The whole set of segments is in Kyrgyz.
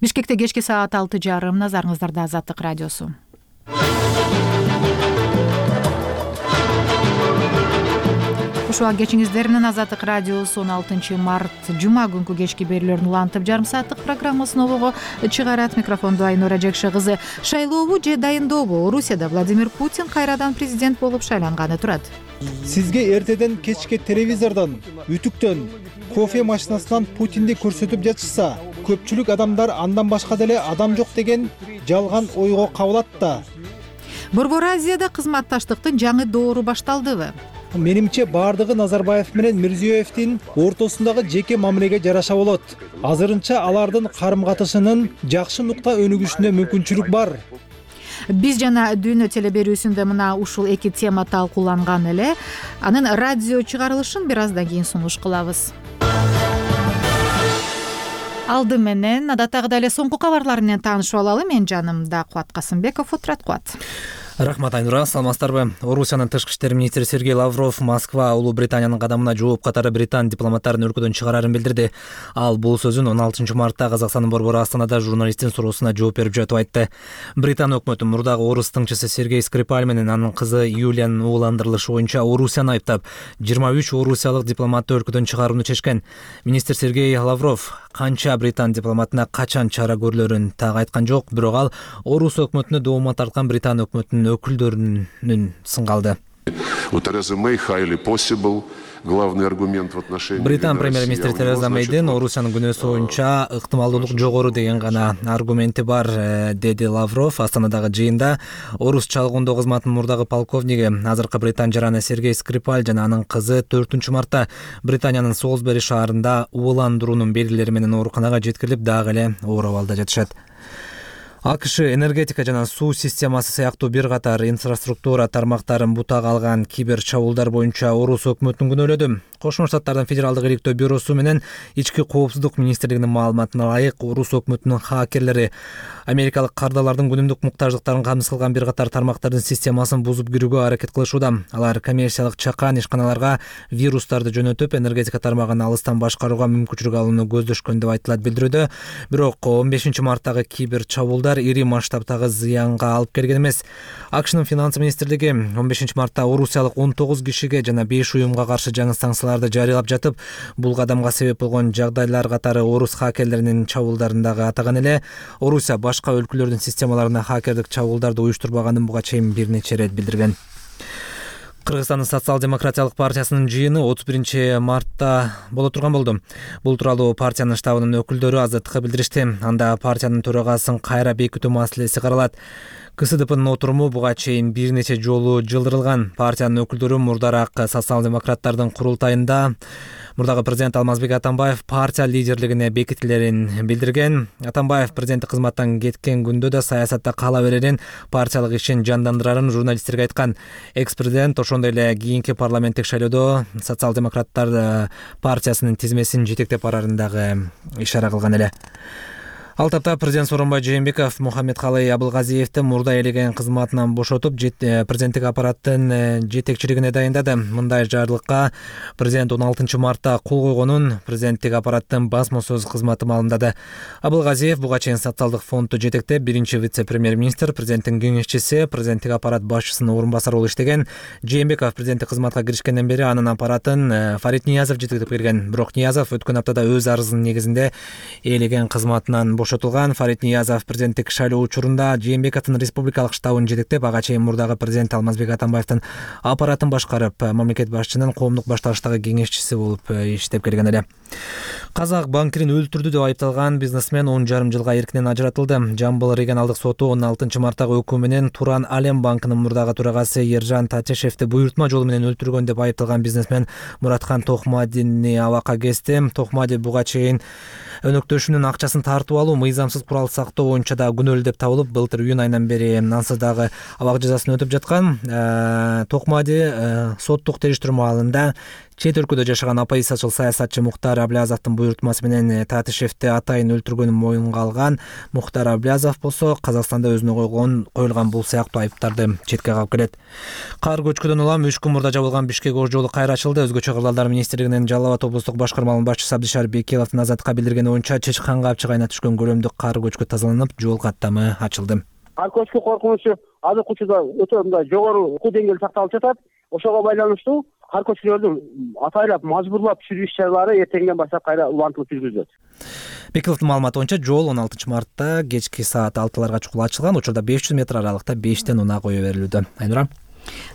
Бишкекте кечки саат 6:30. Назарыңыздарда Азаттык радиосу. Ушуга кечиңиздер менен Азаттык радиосу 16 март жума күнкү кечки берүүлөрүн улантып, жарым сааттык программасын обого чыгарат. Микрофонду Айнура Жекше кызы. Шайлообу же дайындообу? Орусияда Владимир Путин кайрадан президент болуп шайланганы турат. Сизге эртеден кечке телевизордон, үтүктөн, кофе машинасынан Путинди көрсөтүп жатышса, көпчүлүк адамдар андан башка деле адам жок деген жалган ойго кабылат да. Борбор Азияда кызматташтыктын жаңы доору башталдыбы? Менимче баардыгы Назарбаев менен Мирзиёевдин ортосундагы жеке мамилеге жараша болот. Азырынча алардын карым-катышынын жакшы нукта өнүгүшүнө мүмкүнчүлүк бар. Биз жана Дүйнө телеберүүсүндө мына ушул эки тема талкууланган эле. Анын радио чыгарылышын бир аздан кийин сунуш кылабыз. Алды менен адаттагыдай эле соңку кабарлар менен таанышып алалы. Мен жанымда Кубат Касымбеков отурат. Кубат. Рахмат, Айнура. Саламатсыздарбы? Орусиянын тышкы иштер министри Сергей Лавров Москва Улуу Британиянын кадамына жооп катары британ дипломаттарын өлкөдөн чыгарарын билдирди. Ал бул сөзүн 16 мартта Казакстандын борбору Астанада журналисттин суроосуна жооп берип жатып айтты. Британ өкмөтү мурдагы орус тыңчысы Сергей Скрипаль менен анын кызы Юлиянын ууландырылышы боюнча Орусияны айыптап, 23 орусиялык дипломатты өлкөдөн чыгарууну чечкен. Министр Сергей Лавров канча британ дипломатына качан чара көрүлөрүн так айткан жок, бирок ал орус өкмөтүнө доомат тарткан британ өкмөтүнүн өкүлдөрүнүн сынгалды. Британ премьер-министри Тереза Мейдин Орусиянын күнөөсү боюнча ыктымалдуулук жогору деген гана аргументи бар, деди Лавров Астанадагы жыйында. Орус чалгындоо кызматынын мурдагы полковниги, азыркы британ жараны Сергей Скрипаль жана анын кызы 4 мартта Британиянын Солсбери шаарында ууландыруунун белгилери менен ооруканага жеткирилип, дагы эле оор абалда жатышат. АКШ энергетика жана суу системасы сыяктуу бир катар инфраструктура тармактарын бутак алган кибер чабуулдар боюнча орус өкмөтүн күнөөлөдү. Кошмо Штаттардын Федералдык иликтөө бюросу менен Ички коопсуздук министрлигинин маалыматына ылайык, орус өкмөтүнүн хакерлери америкалык кардалардын күнүмдүк муктаждыктарын камсыз кылган бир катар тармактардын системасын бузуп кирүүгө аракет кылышууда. Алар коммерциялык чакан ишканаларга вирустарды жөнөтүп, энергетика тармагын алыстан башкарууга мүмкүнчүлүк алууну көздөшкөн деп айтылат билдирүүдө. Бирок 15 марттагы кибер чабуулдар ири масштабтагы зыянга алып келген эмес. АКШнын финансы министрлиги 15 мартта орусиялык 19 кишиге жана 5 уюмга каршы жаңы санкцияларды жарыялап жатып, бул кадамга себеп болгон жагдайлар катары орус хакерлеринин чабуулдарындагы атаган эле. Орусия башка өлкөлөрдүн системаларына хакердик чабуулдарды уюштурбаганын буга чейин бир нече ирет билдирген. Кыргызстандын социал-демократиялык партиясынын жыйыны 31 мартта боло турган болду. Бул тууралуу партиянын штабынын өкүлдөрү Азаттыкка билдиришти. Анда партиянын төрагасын кайра бекитүү маселеси каралат. КСДПнын отуруму буга чейин бир нече жолу жылдырылган. Партиянын өкүлдөрү мурдараак социал-демократтардын курултайында мурдагы президент Алмазбек Атамбаев партия лидерлигине бекитилерин билдирген. Атамбаев президенттик кызматтан кеткен күндө да саясатта кала берерин, партиялык ишин жандандырарын журналисттерге айткан. Экс-президент ошондой эле кийинки парламенттик шайлоодо социал-демократтар партиясынын тизмесин жетектеп барарын дагы ишара кылган эле. Ал тапта президент Сооронбай Жээнбеков Мухаммедкалый Абылгазиевди мурда ээлеген кызматынан бошотуп, президенттик аппараттын жетекчилигине дайындады. Мындай жарлыкка президент 16 мартта кол койгонун президенттик аппараттын басма сөз кызматы маалымдады. Абылгазиев буга чейин социалдык фондду жетектеп, биринчи вице-премьер-министр, президенттин кеңешчиси, президенттик аппарат башчысынын орун басары болуп иштеген. Жээнбеков президенттик кызматка киришкенден бери анын аппаратын Фарид Ниязов жетектеп келген. Бирок Ниязов өткөн аптада өз арызынын негизинде ээлеген кызматынан бошотулган. Фарид Ниязов президенттик шайлоо учурунда Жээнбековдун республикалык штабын жетектеп, ага чейин мурдагы президент Алмазбек Атамбаевдин аппаратын башкарып, мамлекет башчынын коомдук башталыштагы кеңешчиси болуп иштеп келген эле. Казак банкирин өлтүрдү деп айыпталган бизнесмен 10,5 жылга эркинен ажыратылды. Жамбыл регионалдык соту 16 марттагы өкүмү менен Туран Алем банкынын мурдагы төрагасы Ержан Татешевди буйртма жолу менен өлтүргөн деп айыпталган бизнесмен Муратхан Тохмадини абакка кести. Тохмади буга чейин өнөктөшүнүн акчасын тартып алуу, мыйзамсыз курал сактоо боюнча да күнөөлүү деп табылып, былтыр июнь айынан бери ансыз дагы абак жазасын өтөп жаткан. Тохмади соттук териштирүү маалында Чет өлкөдө жашаган оппозициячыл саясатчы Мухтар Аблязовдун буйртмасы менен Татишевди атайын өлтүргөнүн моюнга алган Мухтар Аблязов болсо Казакстанда өзүнө коюлган бул сыяктуу айыптарды четке кагып келет. Кар көчкүдөн улам 3 күн мурда жабылган Бишкек Ош жолу кайра ачылды. Өзгөчө кырдаалдар министрлигинин Жалал Абад облустук башкармалыгынын башчысы Абдишар Бекиловдун Азаттыкка билдиргени боюнча Чычкан капчык айына түшкөн көлөмдүк кар көчкү тазаланып, жол каттамы ачылды. Кар көчкү коркунучу азыркы учурда өтө мындай жогору окуу деңгээли сакталып жатат. Ошого байланыштуу кар көчкүлөрдү атайлап мажбурлап түшүрүү иш-чаралары эртеңден баштап кайра убантылып жүргүзүлөт. Бекиловдун маалыматы боюнча жол 16 мартта кечки саат 6-ларга чукул ачылган. Учурда 500 метр аралыкта 5тен унаа кое берилүүдө. Айнура.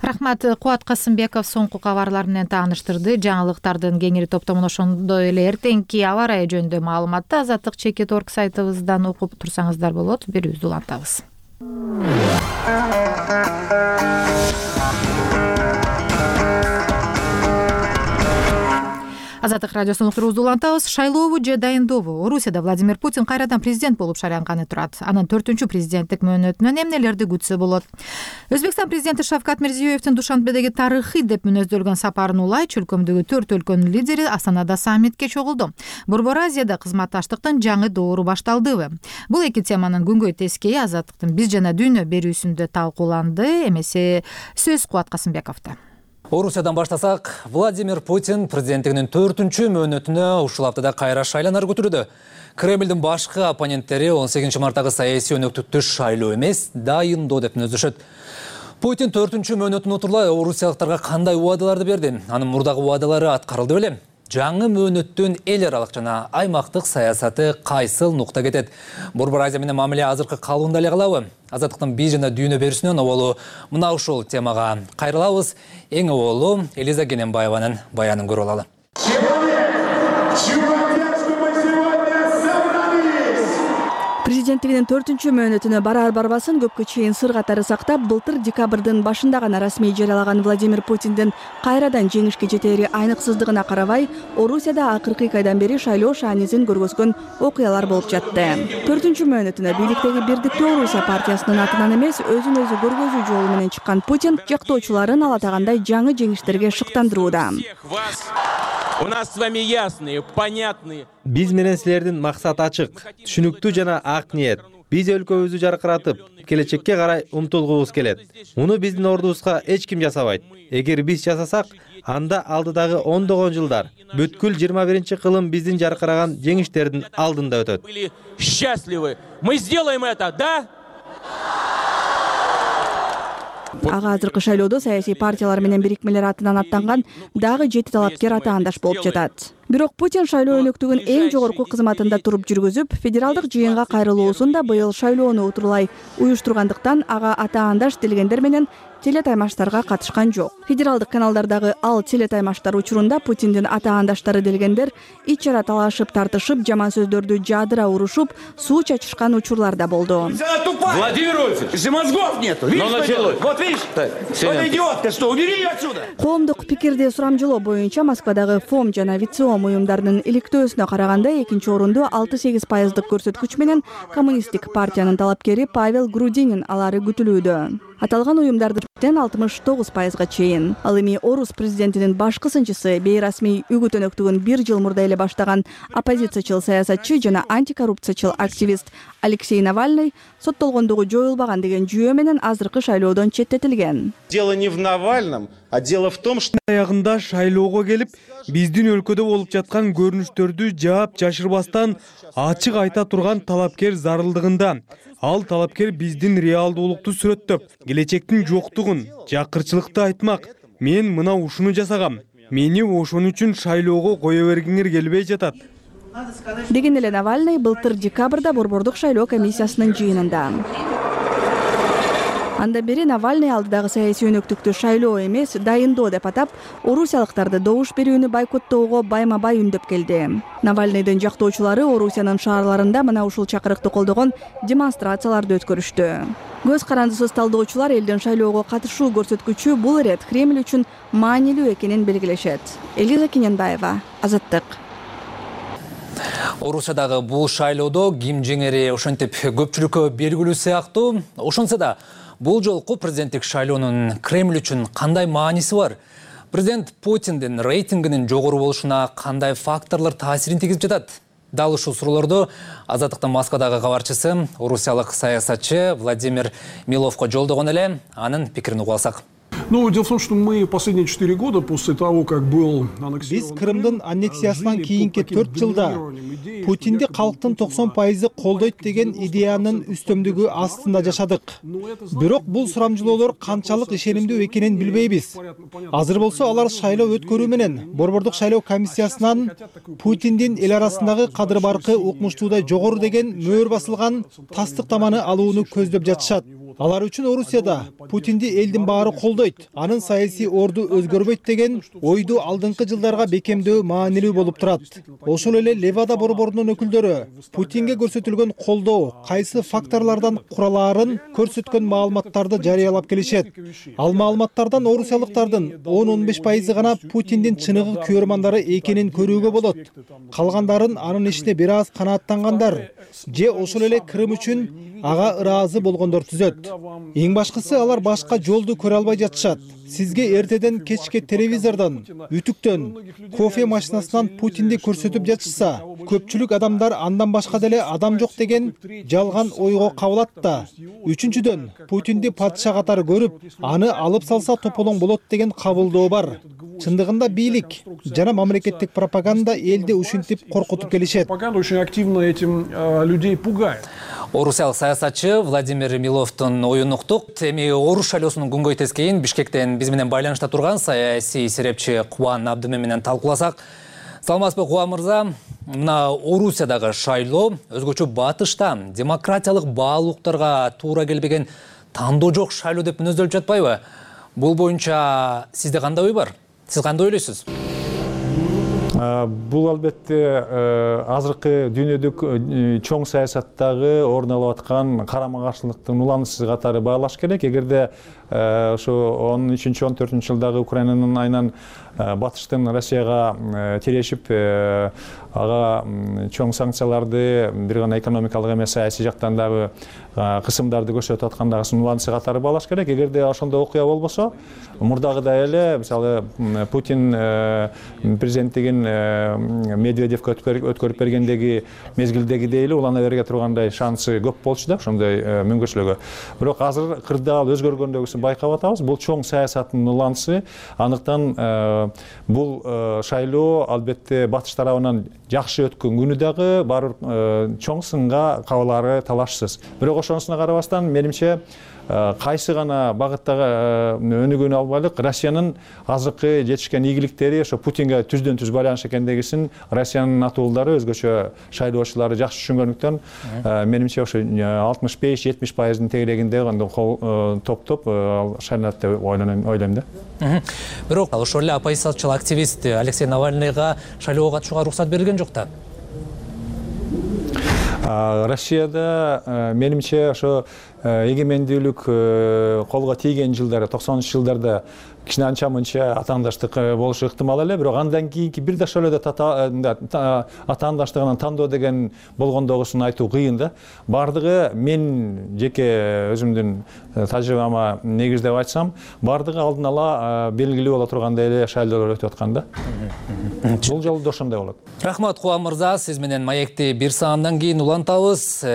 Рахмат. Кубат Касымбеков соңку кабарлар менен тааныштырды. Жаңылыктардын кеңири топтомун ошондой эле эртеңки аба ырайы жөнүндө маалыматты Азаттык.org сайтыбыздан окуп турсаңыздар болот. Берүүбүздү улантабыз. Азаттык радиосунун уктуруубузду улантабыз. Шайлообу же дайындообу? Орусияда Владимир Путин кайрадан президент болуп шайланганы турат. Анын 4-чү президенттик мөөнөтүнөн эмнелерди күтсө болот? Өзбекстан президенти Шавкат Мирзиёевдин Душанбедеги тарыхый деп мүнөздөлгөн сапарын улай чөлкөмдөгү 4 өлкөнүн лидери Астанада саммитке чогулду. Борбор Азияда кызматташтыктын жаңы доору башталдыбы? Бул эки теманын күнгөй тескейи Азаттыктын биз жана дүйнө берүүсүндө талкууланды. Эмесе сөз Кубат Касымбековдо. Орусиядан баштасак, Владимир Путин президенттигинин 4-чү мөөнөтүнө ушул аптада кайра шайланар көтүрүүдө. Кремлдин башкы оппоненттери 18 марттагы саясий өнөктүктү шайлоо эмес, дайындоо деп мүнөздөшөт. Путин 4-чү мөөнөтүн утурлай орусиялыктарга кандай убадаларды берди? Анын мурдагы убадалары аткарылды беле? Жаңы мөөнөттүн эл аралык жана аймактык саясаты кайсыл нукта кетет? Борбор Азия менен мамиле азыркы калыбында эле калабы? Азаттыктын биз жана дүйнө берүүсүнөн оболу мына ушул темага кайрылабыз. Эң оболу Элиза Кененбаеванын баянын көрүп алалы. Президенттигинин 4-чү мөөнөтүнө барар барбасын көпкө чейин сыр катары сактап, былтыр декабрдын башында гана расмий жарыялаган Владимир Путиндин кайрадан жеңишке жетери айныксыздыгына карабай, Орусияда акыркы 2 айдан бери шайлоо шаанизин көргөзгөн окуялар болуп жатты. 4-чү мөөнөтүнө бийликтеги Бирдиктүү Орусия партиясынын атынан эмес, өзүн өзү көргөзүү жолу менен чыккан Путин жактоочуларын ала тагандай жаңы жеңиштерге шыктандырууда. У нас с вами ясные, понятные. Биз менен силердин максат ачык, түшүнүктүү жана ак ниет. Биз өлкөбүздү жаркыратып, келечекке карай умтулгубуз келет. Муну биздин ордубузга эч ким жасабайт. Эгер биз жасасак, анда алдыдагы ондогон жылдар бүткүл 21-кылым биздин жаркыраган жеңиштердин алдында өтөт. Были счастливы. Мы сделаем это, да? Ага азыркы шайлоодо саясий партиялар менен бирикмелер атынан аттанган дагы 7 талапкер атаандаш болуп жатат. Бирок Путин шайлоо өнөктүгүн эң жогорку кызматында туруп жүргүзүп, федералдык жыйынга кайрылуусун да быйыл шайлоону утурлай уюштургандыктан ага атаандаш делгендер менен телетаймаштарга катышкан жок. Федералдык каналдардагы ал телетаймаштар учурунда Путиндин атаандаштары делгендер ич-чара талашып, тартышып, жаман сөздөрдү жаадыра урушуп, суу чачышкан учурлар да болду. Владимир Вольфович, мозгов нету. Вот видишь, эта идиотка, что, убери ее отсюда. Коомдук пикирди сурамжылоо боюнча Москвадагы ФОМ жана ВИЦИОМ уюмдарынын иликтөөсүнө караганда 2-орунду 6-8% көрсөткүч менен Коммунисттик партиянын талапкери Павел Грудинин алары күтүлүүдө. Аталган уюмдардын 69%га чейин. Ал эми Орус президентинин башкы сынчысы бейрасмий үгүт өнөктүгүн 1 жыл мурда эле баштаган оппозициячыл саясатчы жана антикоррупциячыл активист Алексей Навальный соттолгондугу жоюлбаган деген жүйө менен азыркы шайлоодон четтетилген. Дело не в Навальном, а дело в том, что Аягында шайлоого келип, биздин өлкөдө болуп жаткан көрүнүштөрдү жаап жашырбастан ачык айта турган талапкер зарылдыгында. Ал талапкер биздин реалдуулукту сүрөттөп, келечектин жоктугун, жакырчылыкты айтмак. Мен мына ушуну жасагам. Мени ошон үчүн шайлоого кое бергиңер келбей жатат. Деген эле Навальный былтыр декабрда борбордук шайлоо комиссиясынын жыйынында. Анда бери Навальный алдыдагы саясий өнөктүктү шайлоо эмес, дайындоо деп атап, орусиялыктарды добуш берүүнү байкоттоого байма-бай үндөп келди. Навальныйдын жактоочулары Орусиянын шаарларында мына ушул чакырыкты колдогон демонстрацияларды өткөрүштү. Көз карандысыз талдоочулар элдин шайлоого катышуу көрсөткүчү бул ирет Кремль үчүн маанилүү экенин белгилешет. Элиза Кененбаева, Азаттык. Орусиядагы бул шайлоодо ким жеңери ошентип көпчүлүккө белгилүү сыяктуу. Ошонсо да бул жолку президенттик шайлоонун Кремль үчүн кандай мааниси бар? Президент Путиндин рейтингинин жогору болушуна кандай факторлор таасирин тийгизип жатат? Дал ушул суроолорду Азаттыктын Москвадагы кабарчысы, орусиялык саясатчы Владимир Миловго жолдогон эле, анын пикирин угуп алсак. Ну, дело в том, что мы последние 4 года после того, как был Биз Крымдын аннексиясынан кийинки 4 жылда Путинди калктын 90% колдойт деген идеянын үстөмдүгү астында жашадык. Бирок бул сурамжылоолор канчалык ишенимдүү экенин билбейбиз. Азыр болсо алар шайлоо өткөрүү менен Борбордук шайлоо комиссиясынан Путиндин эл арасындагы кадыр баркы укмуштуудай жогору деген мөөр басылган тастыктаманы алууну көздөп жатышат. Алар үчүн Орусияда Путинди элдин баары колдойт, анын саясий орду өзгөрбөйт деген ойду алдыңкы жылдарга бекемдөө маанилүү болуп турат. Ошол эле Левада борборунун өкүлдөрү Путинге көрсөтүлгөн колдоо кайсы факторлордон куралаарын көрсөткөн маалыматтарды жарыялап келишет. Ал маалыматтардан орусиялыктардын 10-15% гана Путиндин чыныгы күөрмандары экенин көрүүгө болот. Калгандарын анын ишине бир аз канааттангандар же ошол эле Крым үчүн ага ыраазы болгондор түзөт. Эң башкысы алар башка жолду көрө албай жатышат. Сизге эртеден кечке телевизордон, үтүктөн, кофе машинасынан Путинди көрсөтүп жатышса, көпчүлүк адамдар андан башка деле адам жок деген жалган ойго кабылат да. Үчүнчүдөн, Путинди падыша катары көрүп, аны алып салса тополоң болот деген кабылдоо бар. Чындыгында бийлик жана мамлекеттик пропаганда элди ушинтип коркутуп келишет. Очень активно этим людей пугает. Орусиялык саясатчы Владимир Миловдун оюн уктук. Эми Оруш шайлоосунун күнгөй тескейин Бишкектен биз менен байланышта турган саясий серепчи Кубан Абдымин менен талкууласак. Саламатсызбы, Кубан мырза? Мына Орусиядагы шайлоо өзгөчө батышта демократиялык баалуулуктарга туура келбеген тандоо жок шайлоо деп мүнөздөлүп жатпайбы? Бул боюнча сизде кандай ой бар? Сиз кандай ойлойсуз? Бул албетте азыркы дүйнөдүк чоң саясаттагы орун алып аткан карама-каршылыктын уланысы катары баалаш керек. Эгерде ошо 13-14 жылдагы Украинанын айынан батыштын Россияга тирешип, ага чоң санкцияларды бир гана экономикалык эмес саясий жактан дагы кысымдарды көрсөтүп аткандагысын уланысы катары баалаш керек. Эгерде ошондой окуя болбосо, мурдагыдай эле, мисалы Путин президенттигин Медведевке өткөрүп бергендеги мезгилдегидей эле улана берге тургандай шансы көп болчу да, ошондой мүмкүнчүлүгү. Бирок азыр кырдаал өзгөргөндөгүсүн байкап атабыз. Бул чоң саясаттын уланысы. Андыктан бул шайлоо албетте батыш тарабынан жакшы өткөн күнү дагы барып чоң сынга кабылары талашсыз. Бирок ошонусуна карабастан менимче кайсы гана багыттагы өнүгүүнү албайлык, Россиянын азыркы жетишкен ийгиликтери ошо Путинге түздөн түз байланыш экендегисин Россиянын атуулдары, өзгөчө шайлоочулары жакшы түшүнгөндүктөн, менимче ошо 65-70%-дын тегерегинде топтоп шайланат деп ойлойм да. Бирок ошол эле оппозициячыл активист Алексей Навальныйга шайлоого катышууга уруксат берилген жок да. Россияда менимче ошо эгемендүүлүк колго тийген жылдары, 90-жылдарда кичине анча-мынча атаандаштык болушу ыктымал эле, бирок андан кийинки бир да ошол эле атаандаштыгынан тандоо деген болгондогусун айтуу кыйын да. Бардыгы, мен жеке өзүмдүн тажрыйбама негиздеп айтсам, бардыгы алдын ала белгилүү боло тургандай эле шайлоолор өтүп аткан да. Бул жолу да ошондой болот. Рахмат, Кубан мырза, сиз менен маекти бир саамдан кийин улантабыз.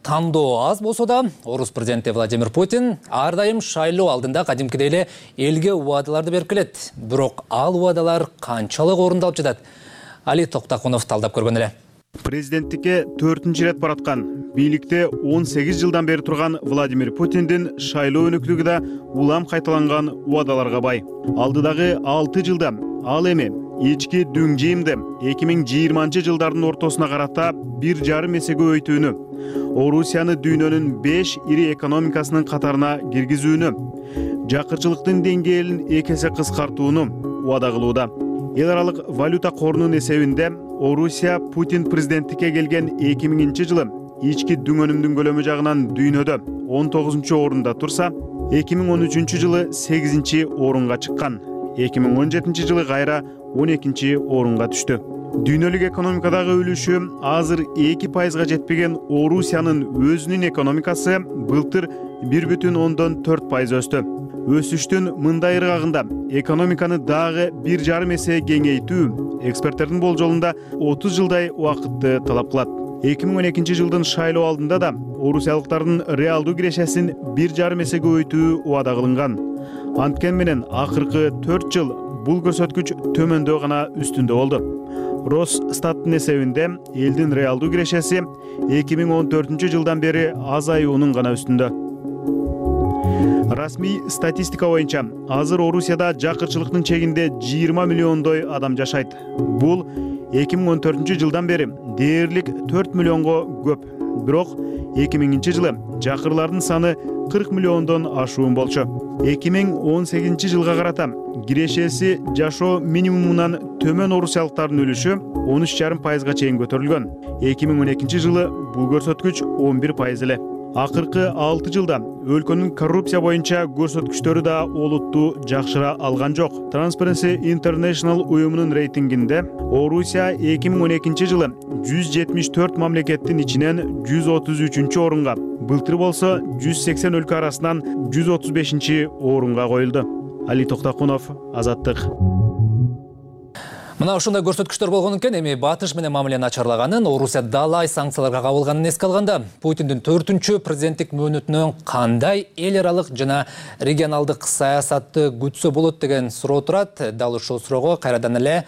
Тандоо аз болсо да, Орус президенти Владимир Путин ар дайым шайлоо алдында кадимкидей эле элге убадаларды берип келет. Бирок ал убадалар канчалык орундалып жатат? Али Токтакунов талдап көргөн эле. Президенттикке 4-нчи ирет бараткан, бийликте 18 жылдан бери турган Владимир Путиндин шайлоо өнүктүгү да улам кайталанган убадаларга бай. Алдыдагы 6 жылда ал эми ички дүң жыйымды 2020 жылдардын ортосуна карата 1,5 эсеге өйтүүнү, Орусияны дүйнөнүн 5 ири экономикасынын катарына киргизүүнү, жакырчылыктын деңгээлин 2 эсе кыскартууну убада кылууда. Эл аралык валюта корунун эсебинде Орусия Путин президенттикке келген 2000 жылы ички дүң өнүмдүн көлөмү жагынан дүйнөдө 19-орунда турса, 2013 жылы 8-орунга чыккан. 2017 жылы кайра 12-орунга түштү. Дүйнөлүк экономикадагы үлүшү азыр 2%га жетпеген Орусиянын өзүнүн экономикасы былтыр 1,4% өстү. өсүштүн мындай ыргагында экономиканы дагы 1,5 эсе кеңейтүү эксперттердин болжолунда 30 жылдай убакытты талап кылат. 2012 жылдын шайлоо алдында да орусиялыктардын реалдуу кирешесин 1,5 эсе көбөйтүү убада кылынган. Анткени менен акыркы 4 жыл бул көрсөткүч төмөндөө гана үстүндө болду. Росстаттын эсебинде элдин реалдуу кирешеси 2014 жылдан бери азаюунун гана үстүндө. Расмий статистика боюнча азыр Орусияда жакырчылыктын чегинде 20 миллиондой адам жашайт. Бул 2014 жылдан бери дээрлик 4 миллионго көп. Бирок 2000 жылы жакырлардын саны 40 миллиондон ашуун болчу. 2018 жылга карата кирешеси жашоо минимумунан төмөн орусиялыктардын үлүшү 13,5% чейин көтөрүлгөн. 2012 жылы бул көрсөткүч 11% эле. Акыркы 6 жылда өлкөнүн коррупция боюнча көрсөткүчтөрү да олуттуу жакшыра алган жок. Transparency International уюмунун рейтингинде Орусия 2012 жылы 174 мамлекеттин ичинен 133-орунга, былтыр болсо 180 өлкө арасынан 135-орунга коюлду. Али Токтакунов, Азаттык. Мына ушундай көрсөткүчтөр болгон экен. Эми батыш менен мамиле начарлаганын, Орусия далай санкцияларга кабылганын эске алганда, Путиндин 4-чү президенттик мөөнөтүнөн кандай эл аралык жана регионалдык саясатты күтсө болот деген суроо турат. Дал ушул суроого кайрадан эле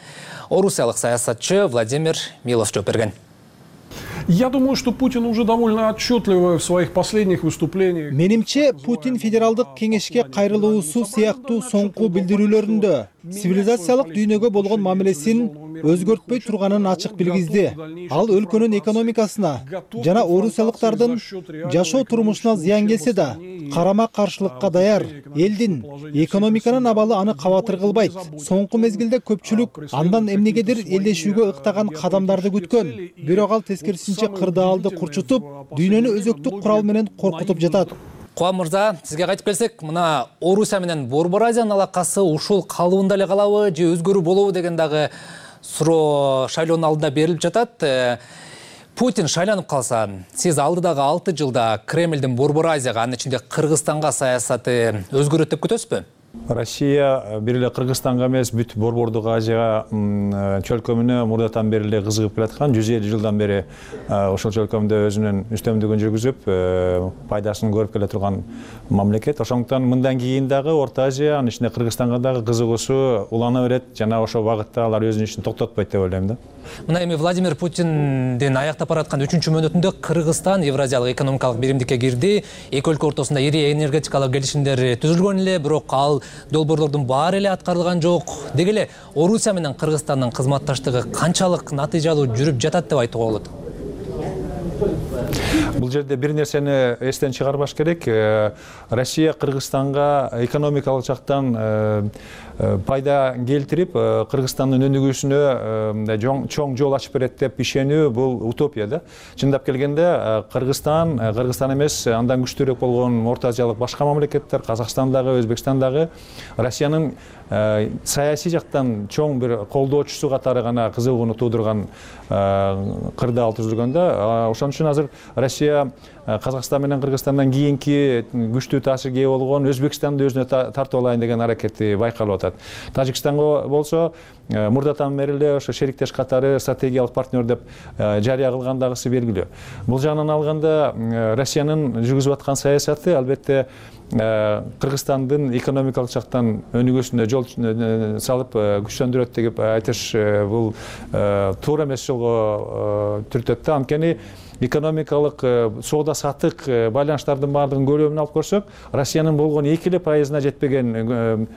орусиялык саясатчы Владимир Милов жооп берген. Я думаю, что Путин уже довольно отчетливо в своих последних выступлениях. Менимче, Путин федералдык кеңешке кайрылуусу сыяктуу соңку билдирүүлөрүндө цивилизациялык дүйнөгө болгон мамилесин өзгөртпөй турганын ачык билгизди. Ал өлкөнүн экономикасына жана орусиялыктардын жашоо турмушуна зыян келсе да, карама каршылыкка даяр. Элдин экономиканын абалы аны кабатыр кылбайт. Соңку мезгилде көпчүлүк андан эмнегедир элдешүүгө ыктаган кадамдарды күткөн. Бирок ал тескерисинче кырдаалды курчутуп, дүйнөнү өзөктүк курал менен коркутуп жатат. Кубан мырза, сизге кайтып келсек, мына Орусия менен Борбор Азиянын алакасы ушул калыбында эле калабы же өзгөрүү болобу деген дагы суроо шайлоонун алдында берилип жатат. Путин шайланып калса, сиз алдыдагы 6 жылда Кремлдин Борбор Азияга, анын ичинде Кыргызстанга саясаты өзгөрөт деп күтөсүзбү? Россия бир эле Кыргызстанга эмес, бүт Борбордук Азияга чөлкөмүнө мурдатан бери эле кызыгып келаткан, 150 жылдан бери ошол чөлкөмдө өзүнүн үстөмдүгүн жүргүзүп, пайдасын көрүп келе турган мамлекет. Ошондуктан мындан кийин дагы Орто Азия, анын ичинде Кыргызстанга дагы кызыгуусу улана берет, жана ошол багытта алар өзүнүн ишин токтотпойт деп ойлойм да. Мына эми Владимир Путиндин аяктап бараткан 3-чү мөөнөтүндө Кыргызстан Евразиялык экономикалык биримдикке кирди. Эки өлкө ортосунда ири энергетикалык келишимдер түзүлгөн эле, бирок ал долбоорлордун баары эле аткарылган жок. Деги эле Орусия менен Кыргызстандын кызматташтыгы канчалык натыйжалуу жүрүп жатат деп айтууга болот? Бул жерде бир нерсени эстен чыгарбаш керек. Россия Кыргызстанга экономикалык жактан пайда келтирип, Кыргызстандын өнүгүүсүнө чоң жол ачып берет деп ишенүү бул утопия да. Чындап келгенде Кыргызстан эмес, андан күчтүүрөөк болгон Орто Азиялык башка мамлекеттер, Казакстандагы, Өзбекстандагы Россиянын саясий жактан чоң бир колдоочусу катары гана кызыгууну туудурган кырдаал түзүлгөндө. Ошон үчүн азыр Россия Казакстан менен Кыргызстандан кийинки күчтүү таасирге ээ болгон Өзбекстанды өзүнө тартып алайын деген аракети байкалып атат. Тажикстанга болсо мурдатан бери эле ошо шериктеш катары стратегиялык партнер деп жарыя кылгандагысы белгилүү. Бул жагынан алганда Россиянын жүргүзүп аткан саясаты албетте Кыргызстандын экономикалык жактан өнүгүүсүнө жол салып күчтөндүрөт деп айтыш бул туура эмес жолго түртөт да. Анткени экономикалык соода саттык байланыштардын баардыгын көлөмүн алып көрсөк, Россиянын болгон 2% жетпеген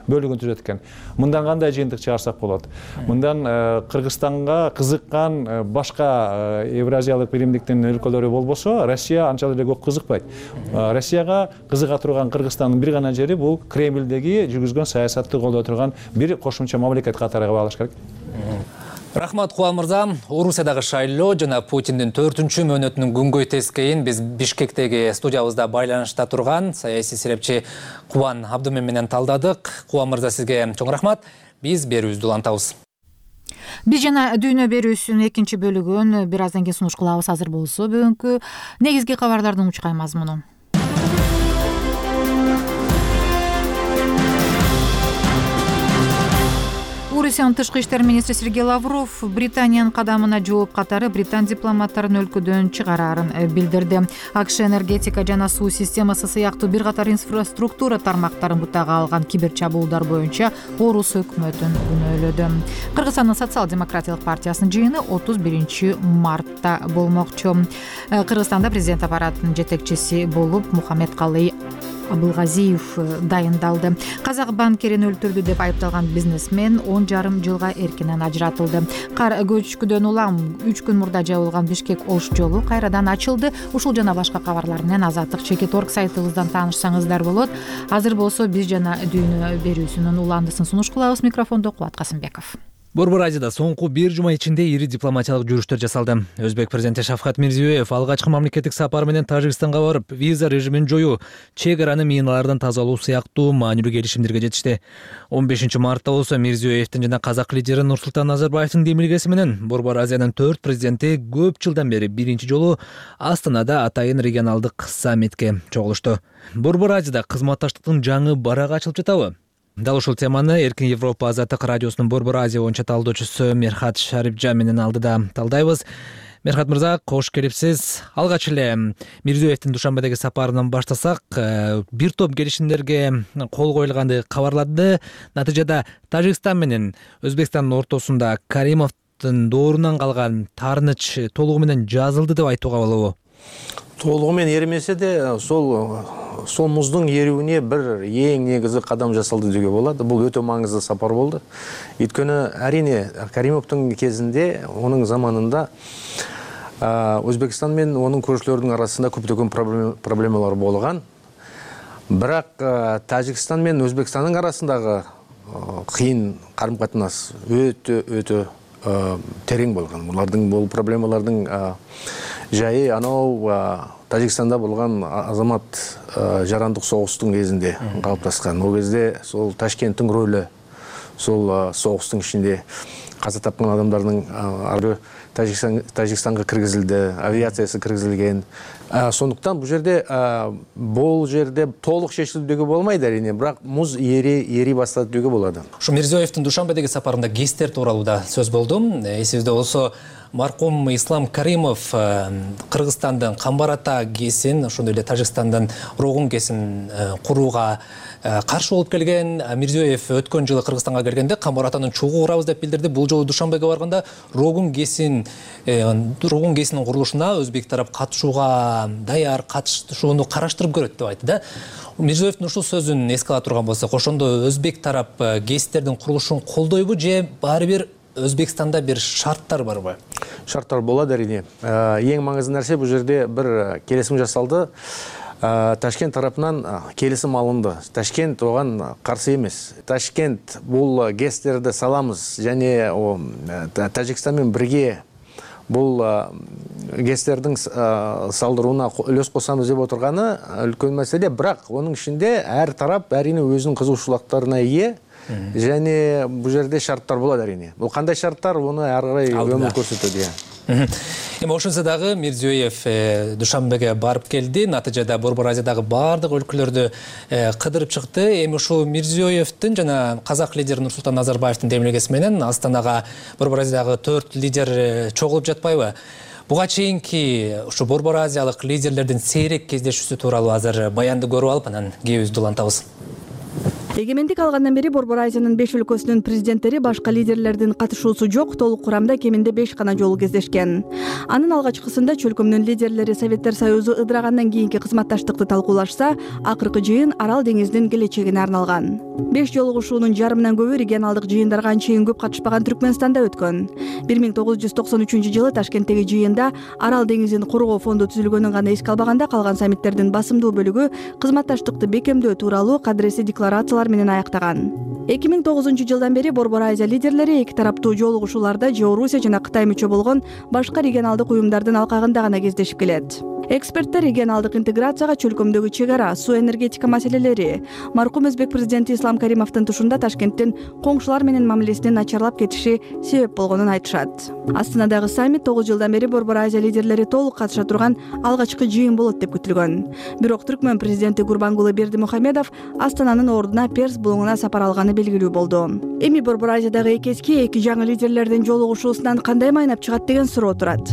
бөлүгүн түзөт экен. Мындан кандай жыйынтык чыгарсак болот? Мындан Кыргызстанга кызыккан башка Евразиялык биримдиктин өлкөлөрү болбосо, Россия анчалык эле көп кызыкпайт. Россияга кызыга турган Кыргызстандын бир гана жери бул Кремлдеги жүргүзгөн саясатты колдой турган бир кошумча мамлекет катары кабылыш керек. Рахмат, Кубан мырза. Орусиядагы шайлоо жана Путиндин 4-чү мөөнөтүнүн күнгөй тескейин биз Бишкектеги студиябызда байланышта турган саясий серепчи Кубан Абдумен менен талдадык. Кубан мырза, сизге чоң рахмат. Биз берүүбүздү улантабыз. Биз жана дүйнө берүүсүнүн 2-чи бөлүгүн бир аздан кийин сунуш кылабыз. Азыр болсо бүгүнкү негизги кабарлардын учкай мазмуну. Орусиянын тышкы иштер министри Сергей Лавров Британиянын кадамына жооп катары британ дипломаттарын өлкөдөн чыгарарын билдирди. АКШ энергетика жана суу системасы сыяктуу бир катар инфраструктура тармактарын бутага алган кибер чабуулдар боюнча орус өкмөтүн күнөөлөдү. Кыргызстандын социал-демократиялык партиясынын жыйыны 31 мартта болмокчу. Кыргызстанда президент аппаратынын жетекчиси болуп Мухаммедкалый Абылгазиев дайындалды. Казак банкерин өлтүрдү деп айыпталган бизнесмен 10,5 жылга эркинен ажыратылды. Кар көчкүдөн улам 3 күн мурда жабылган Бишкек-Ош жолу кайрадан ачылды. Ушул жана башка кабарлар менен Азаттык Чекит.орг сайтыбыздан таанышсаңыздар болот. Азыр болсо биз жана дүйнө берүүсүнүн уландысын сунуш кылабыз. Микрофондо Кубат Касымбеков. Борбор Азияда соңку бир жума ичинде ири дипломатиялык жүрүштөр жасалды. Өзбек президенти Шавкат Мирзиёев алгачкы мамлекеттик сапары менен Тажикстанга барып, виза режимин жоюу, чек араны миналардан тазалоо сыяктуу маанилүү келишимдерге жетишти. 15 мартта болсо Мирзиёевдин жана казак лидери Нурсултан Назарбаевдин демилгеси менен Борбор Азиянын 4 президенти көп жылдан бери биринчи жолу Астанада атайын регионалдык саммитке чогулушту. Борбор Азияда кызматташтыктын жаңы барагы ачылып жатабы? Дал ушул теманы Эркин Европа Азаттык радиосунун Борбор Азия боюнча талдоочусу Мерхат Шарипжан менен алдыда талдайбыз. Мерхат мырза, кош келипсиз. Алгач эле Мирзиёевдин Душанбедеги сапарынан баштасак, бир топ келишимдерге кол коюлганды кабарлады. Натыйжада Тажикстан менен Өзбекстандын ортосунда Каримовдун доорунан калган таарыныч толугу менен жазылды деп айтууга болобу? Толугу менен эримесе де сол муздун эрүүнүне бир эң негизги кадам жасалды деге болот. Бул өтө маңыздуу сапар болду. Өйткөнү арине Каримовдун кезинде, онун заманында Өзбекстан менен онун көршүлөрдүн арасында көптөгөн проблемалар болгон. Бирок Тажикстан менен Өзбекстандын арасындагы кыйын карым-катнаш өтө терең болгон. Булардын бул проблемалардын жайы анау Тажикстанда болгон азамат жарандык согуштун кезинде калыпташкан. Ол кезде сол Ташкенттин рөлү сол согуштун ичинде каза тапкан адамдардын ары Тажикстанга киргизилди, авиациясы киргизилген. Сондуктан бул жерде толук чечилди деге болмойт арине, бирок муз ери баштады деге болот. Ушу Мирзиёевдин Душанбедеги сапарында гесттер тууралуу да сөз болду. Эсибизде болсо маркум Ислам Каримов Кыргызстандын Камбар Ата ГЭСин, ошондой эле Тажикстандын Рогун ГЭСин курууга каршы болуп келген. Мирзиёев өткөн жылы Кыргызстанга келгенде Камбар Атаны чогуу курабыз деп билдирди. Бул жолу Душанбеге барганда Рогун ГЭСинин курулушуна өзбек тарап катышууга даяр, катышууну караштырып көрөт деп айтты да. Мирзиёевдин ушул сөзүн эске ала турган болсок, ошондо өзбек тарап ГЭСтердин курулушун колдойбу же баары бир Өзбекстанда бир шарттар барбы? Шарттар болот арине. Эң маңыздуу нерсе бул жерде бир келисим жасалды. Ташкент тарапынан келисим алынды. Ташкент оган каршы эмес. Ташкент бул ГЭСтерди саламыз және Тажикстан менен бирге бул ГЭСтердин салдырууна үлөс косамыз деп отурганы үлкөн маселе. Бирок онун ичинде ар тарап арине өзүнүн кызыгушчулуктарына ээ. Және бул жерде шарттар болот арине. Бул кандай шарттар, уну ары карай өмүр көрсөтөт. Эми ошонсо дагы Мирзиёев Душанбеге барып келди. Натыйжада Борбор Азиядагы бардык өлкөлөрдү кыдырып чыкты. Эми ушул Мирзиёевдин жана казак лидери Нурсултан Назарбаевдин демилгеси менен Астанага Борбор Азиядагы 4 лидер чогулуп жатпайбы? Буга чейинки ушу Борбор Азиялык лидерлердин сейрек кездешүүсү тууралуу азыр баянды көрүп алып, анан кебиз улантабыз. Эгемендик алгандан бери Борбор Азиянын 5 өлкөсүнүн президенттери башка лидерлердин катышуусу жок, толук курамда кеминде 5 гана жолу кездешкен. Анын алгачкысында чөлкөмдүн лидерлери Советтер Союзу ыдырагандан кийинки кызматташтыкты талкуулашса, акыркы жыйын Арал деңизинин келечегине арналган. 5 жолугушуунун жарымынан көбү регионалдык жыйындарга анчейин көп катышпаган Түркмөнстанда өткөн. 1993 Ташкенттеги жыйында Арал деңизин коргоо фонду түзүлгөнүн гана эске албаганда, калган саммиттердин басымдуу бөлүгү кызматташтыкты бекемдөө тууралуу кадыресе декларациялар менен аяктаган. 2009 жылдан бери Борбор Азия лидерлери эки тараптуу жолугушууларда же Орусия жана Кытай мүчө болгон башка регионалдык уюмдардын алкагында гана кездешип келет. Эксперттер регионалдык интеграцияга чөлкөмдөгү чек ара, суу энергетика маселелери, маркум Өзбек президенти Ислам Каримовдун тушунда Ташкенттин коңшулар менен мамилесинин начарлап кетиши себеп болгонун айтышат. Астанадагы саммит 9 жылдан бери Борбор Азия лидерлери толук катыша турган алгачкы жыйын болот деп күтүлгөн. Бирок Түркмөн президенти Гурбангулы Бердимухамедов Астананын ордуна Перс булуңуна сапар алганы белгилүү болду. Эми Борбор Азиядагы эки жаңы лидерлердин жолугушуусунан кандай майнап чыгат деген суроо турат.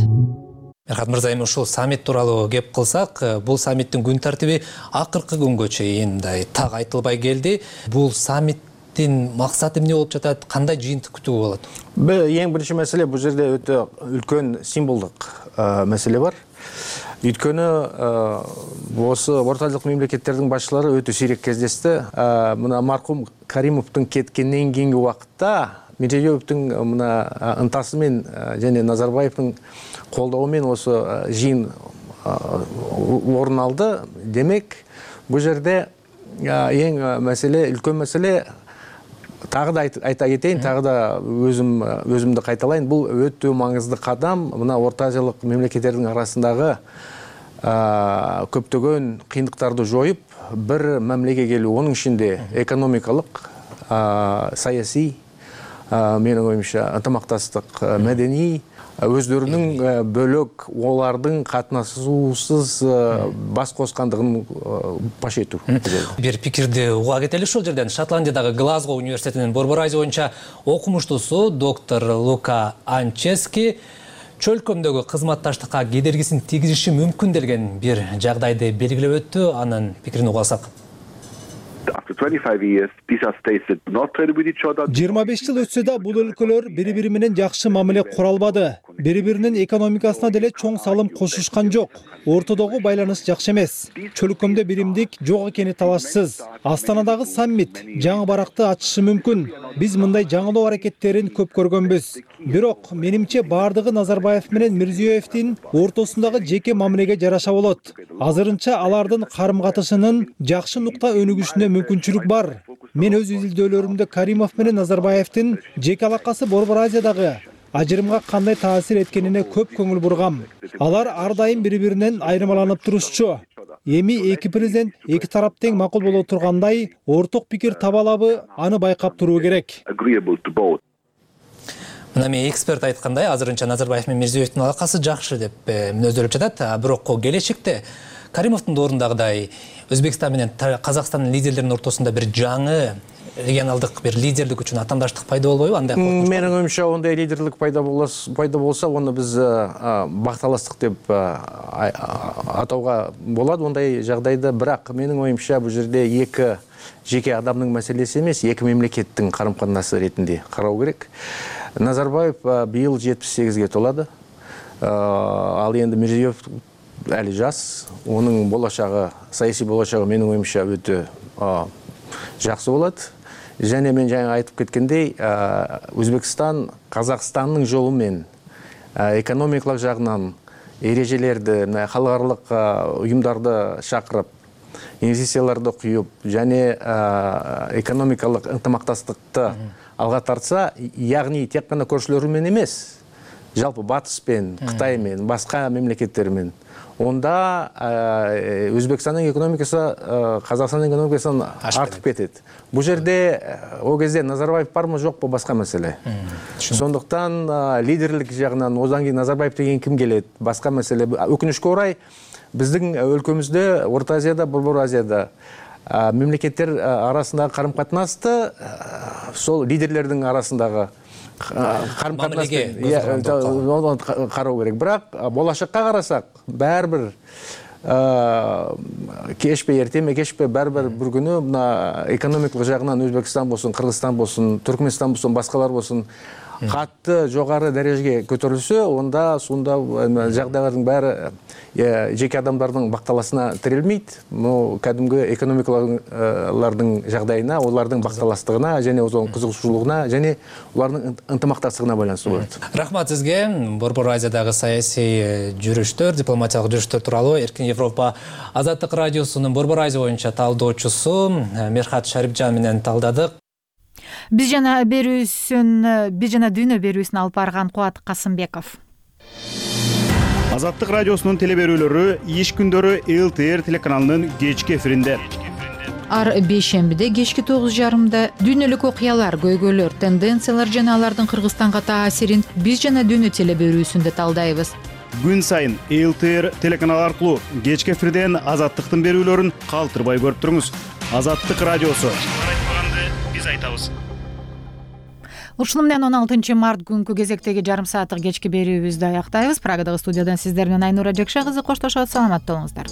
Мерхат мырза, эми ушул саммит тууралуу кеп кылсак, бул саммиттин күн тартиби акыркы күнгө чейин так айтылбай келди. Бул саммиттин максаты эмне болуп жатат? Кандай жыйынтык күтүүгө болот? Эң биринчи маселе бул жерде өтө үлкөн символдук маселе бар. Өйткөнү осы Орто Азиялык мемлекеттердин башчылары өтө сейрек кездешти. Мына маркум Каримовдун кеткенден кийинки убакытта Меджидиевдин мына ынтасы менен жана Назарбаевдин колдоо менен осы жыйын орун алды. Демек, бул жерде эң маселе, үлкөн маселе, тагы да айта кетейин, тагы да өзүмдү кайталайын, бул өтө маңызды кадам. Мына Орто Азиялык мемлекеттердин арасындагы көптөгөн кыйындыктарды жоюп, бир мамилеге келүү, онун ичинде экономикалык, саясий, менин оюмча ынтымактастык, мәдәни, өздөрүнүн бөлөк олардын катнашуусуз бас коскандыгын паш этүү. Бир пикирди уга кетели ушул жерден. Шотландиядагы Глазго университетинин Борбор Азия боюнча окумуштуусу доктор Лука Анчески чөлкөмдөгү кызматташтыкка кедергисин тийгизиши мүмкүн деген бир жагдайды белгилеп өттү. Анын пикирин уга алсак. 25 жыл өтсө да бул өлкөлөр бири-бири менен жакшы мамиле кура албады. Бири-биринин экономикасына деле чоң салым кошушкан жок. Ортодогу байланыш жакшы эмес. Чөлкөмдө биримдик жок экени талашсыз. Астанадагы саммит жаңы баракты ачышы мүмкүн. Биз мындай жаңылоо аракеттерин көп көргөнбүз. Бирок менимче бардыгы Назарбаев менен Мирзиёевдин ортосундагы жеке мамилеге жараша болот. Азырынча алардын карым-катышынын жакшы нукта өнүгүшүнө мүмкүнчүлүк бар. Мен өз изилдөөлөрүмдө Каримов менен Назарбаевдин жеке алакасы Борбор Азиядагы ажырымга кандай таасир эткенине көп көңүл бургам. Алар ар дайым бири-биринен айырмаланып турушчу. Эми эки президент эки тарап тең макул боло тургандай орток пикир таба алабы, аны байкап туруу керек. Мына мен эксперт айткандай, азырынча Назарбаев менен Мирзиёевдин алакасы жакшы деп мүнөздөлүп жатат. Бирок келечекте Каримовдун ордундагыдай Өзбекстан менен Казакстандын лидерлеринин ортосунда бир жаңы регионалдык бир лидерлик үчүн атамдаштык пайда болбойбу? Андай менин оюмча ондай лидерлик пайда болсо, аны биз бакталастык деп атауга болот ондай жагдайда. Бирок менин оюмча бул жерде эки жеке адамдын маселеси эмес, эки мемлекеттин карым-катнасы ретинде кароо керек. Назарбаев быйыл 78-ге толады. Ал енді Мирзиёев әлі жас. Оның болашағы, саяси болашағы менің оюмча өтө жақсы болады. Және мен жаңа айтып кеткендей, Өзбекстан Казакстанның жолымен экономикалык жагынан эрежелерди, халыкаралык уюмдарды шакырып, инвестицияларды куюп, және экономикалык ынтымактастыкты алга тартса, ягни тек гана көршүлөрү менен эмес, жалпы Батыспен, Кытаймен, башка мемлекеттермен, онда Өзбекстандын экономикасы Казакстандын экономикасынан артып кетет. Бул жерде о кезде Назарбаев бармы жокпу башка маселе. Сондуктан лидерлик жагынан одан кийин Назарбаев деген ким келет, башка маселе. Өкүнүчкө орай биздин өлкөмүздө, Орто Азияда, Борбор Азияда мемлекеттер арасындагы карым-катнасты сол лидерлердин арасындагы карым-катнаспен кароо керек. Бирок болашакка карасак, баары бир кечпей эртеме кечпей баары бир күнү мына экономикалык жагынан Өзбекстан болсун, Кыргызстан болсун, Түркмөнстан болсун, башкалар болсун катты жогору дарежеге көтөрүлсө, онда сонда жагдайлардын баары жеке адамдардын бакталасына тирелмейт. Бул кадимги экономикалардын жагдайына, олардын бакталастыгына және озон кызыгуучулугуна және улардын ынтымактастыгына байланыштуу болот. Рахмат сизге. Борбор Азиядагы саясий жүрүштөр, дипломатиялык жүрүштөр тууралуу Эркин Европа Азаттык радиосунун Борбор Азия боюнча талдоочусу Мерхат Шарипжан менен талдадык. Биз жана дүйнө берүүсүн алып барган Кубат Касымбеков. Азаттык радиосунун теле берүүлөрү иш күндөрү ЛТР телеканалынын кечки эфиринде. Ар бейшембиде кечки 9:30 дүйнөлүк окуялар, көйгөйлөр, тенденциялар жана алардын Кыргызстанга таасирин биз жана дүйнө теле берүүсүндө талдайбыз. Күн сайын ЛТР телеканалы аркылуу кечки эфирден Азаттыктын берүүлөрүн калтырбай көрүп туруңуз. Азаттык радиосу. Айтпаганды биз айтабыз. Ушуну менен 16 март күнкү кезектеги жарым сааттык кечки берүүбүздү аяктайбыз. Прагадагы студиядан сиздер менен Айнура Жекше кызы коштошот. Саламатта болуңуздар.